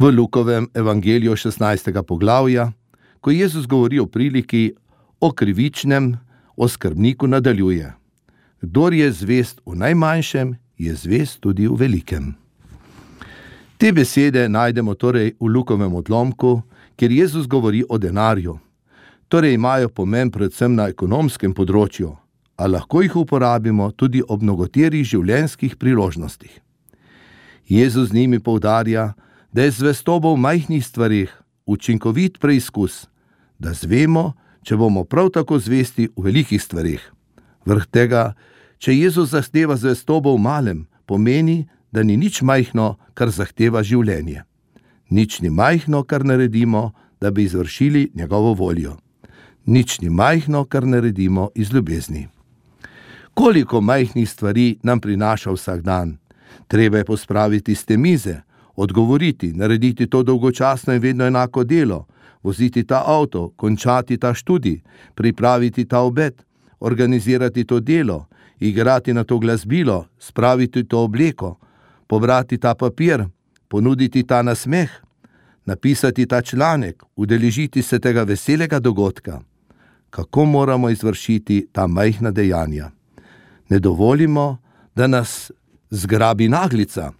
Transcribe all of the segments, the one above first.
V Lukovem evangeliju 16. poglavja, ko Jezus govori o priliki o krivičnem, o skrbniku nadaljuje: Kdor je zvest v najmanjšem, je zvest tudi v velikem. Te besede najdemo torej v Lukovem odlomku, kjer Jezus govori o denarju. Torej imajo pomen predvsem na ekonomskem področju, a lahko jih uporabimo tudi ob mnogoterih življenjskih priložnostih. Jezus z njimi poudarja, da je zvestoba v majhnih stvareh učinkovit preizkus, da zvemo, če bomo prav tako zvesti v velikih stvareh. Vrh tega, če Jezus zahteva zvestobo v malem, pomeni, da ni nič majhno, kar zahteva življenje. Nič ni majhno, kar naredimo, da bi izvršili njegovo voljo. Nič ni majhno, kar naredimo iz ljubezni. Koliko majhnih stvari nam prinaša vsak dan? Treba je pospraviti s te mize, odgovoriti, narediti to dolgočasno in vedno enako delo, voziti ta avto, končati ta študij, pripraviti ta obed, organizirati to delo, igrati na to glasbilo, spraviti to obleko, pobrati ta papir, ponuditi ta nasmeh, napisati ta članek, udeležiti se tega veselega dogodka. Kako moramo izvršiti ta majhna dejanja? Ne dovolimo, da nas zgrabi naglica.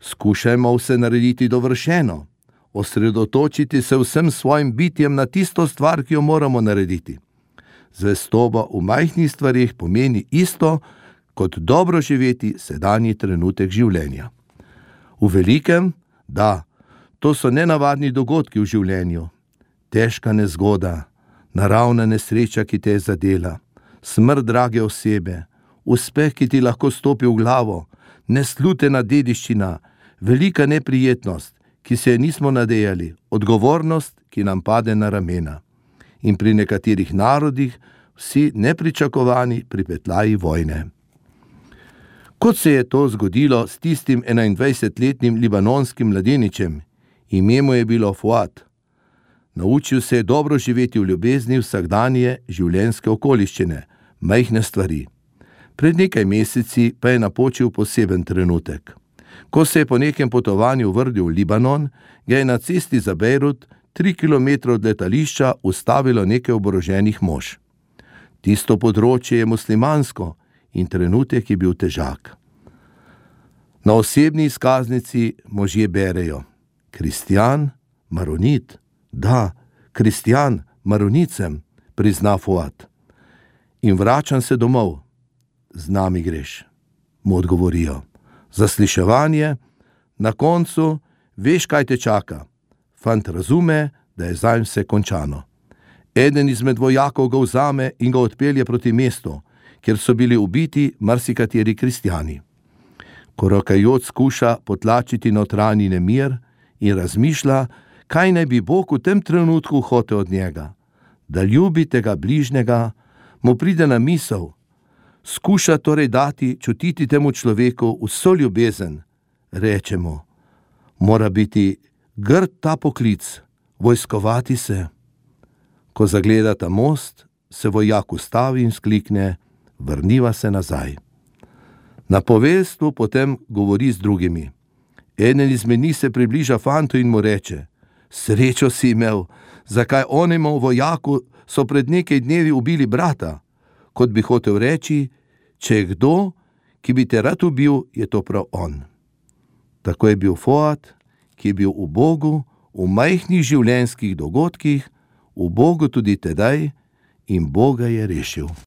Skušajmo vse narediti dovršeno, osredotočiti se vsem svojim bitjem na tisto stvar, ki jo moramo narediti. Zvestoba v majhnih stvareh pomeni isto, kot dobro živeti sedanji trenutek življenja. V velikem, da, to so nenavadni dogodki v življenju. Težka nezgoda, naravna nesreča, ki te je zadela, smrt drage osebe, uspeh, ki ti lahko stopi v glavo, neslutena dediščina, velika neprijetnost, ki se je nismo nadejali, odgovornost, ki nam pade na ramena. In pri nekaterih narodih vsi nepričakovani pripetljaji vojne. Kot se je to zgodilo s tistim 21-letnim libanonskim mladeničem, ime mu je bilo Fuad. Naučil se je dobro živeti v ljubezni vsakdanje življenjske okoliščine, majhne stvari. Pred nekaj meseci pa je napočil poseben trenutek. Ko se je po nekem potovanju vrnil v Libanon, ga je na cesti za Bejrut 3 kilometre od letališča ustavilo nekaj oboroženih mož. Tisto področje je muslimansko in trenutek je bil težak. Na osebni izkaznici možje berejo: Kristjan, maronit. Da, kristjan, maronicem, prizna Fuad. In vračam se domov. Z nami greš, mu odgovorijo. Zasliševanje, na koncu veš, kaj te čaka. Fant razume, da je zanj vse končano. Eden izmed vojakov ga vzame in ga odpelje proti mestu, kjer so bili ubiti marsikateri kristjani. Korakajoč skuša potlačiti notranji nemir in razmišlja, kaj naj bi Bog v tem trenutku hotel od njega. Da ljubi tega bližnjega, mu pride na misel. Skuša torej dati čutiti temu človeku vso ljubezen. Reče mu: mora biti grd ta poklic, vojskovati se. Ko zagleda ta most, se vojak ustavi in sklikne: vrniva se nazaj. Na poveljstvu potem govori z drugimi. Eden izmed njih se približa fantu in mu reče: srečo si imel, zakaj onemu vojaku so pred nekaj dnevi ubili brata? Kot bi hotel reči, če je kdo, ki bi te rad ubil, je to prav on. Tako je bil Fuad, ki je bil v Bogu, v majhnih življenjskih dogodkih, v Bogu tudi tedaj, in Boga je rešil.